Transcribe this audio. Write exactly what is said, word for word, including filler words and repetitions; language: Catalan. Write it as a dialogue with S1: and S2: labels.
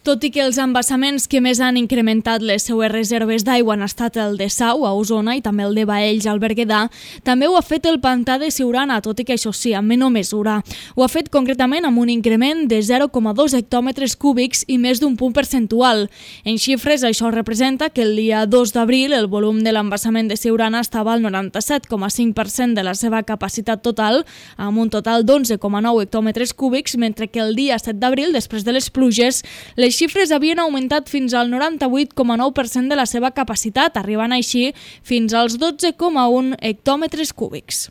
S1: Tot i que els embassaments que més han incrementat les seues reserves d'aigua han estat el de Sau, a Osona, i també el de Baells, al Berguedà, també ho ha fet el pantà de Siurana, tot i que això sí, amb menor mesura. Ho ha fet concretament amb un increment de zero coma dos hectòmetres cúbics i més d'un punt percentual. En xifres, això representa que el dia dos d'abril el volum de l'embassament de Siurana estava al noranta-set coma cinc per cent de la seva capacitat total, amb un total d'onze coma nou hectòmetres cúbics, mentre que el dia set d'abril, després de les pluges, les xifres havien augmentat fins al noranta-vuit coma nou per cent de la seva capacitat, arribant així fins als dotze coma un hectòmetres cúbics.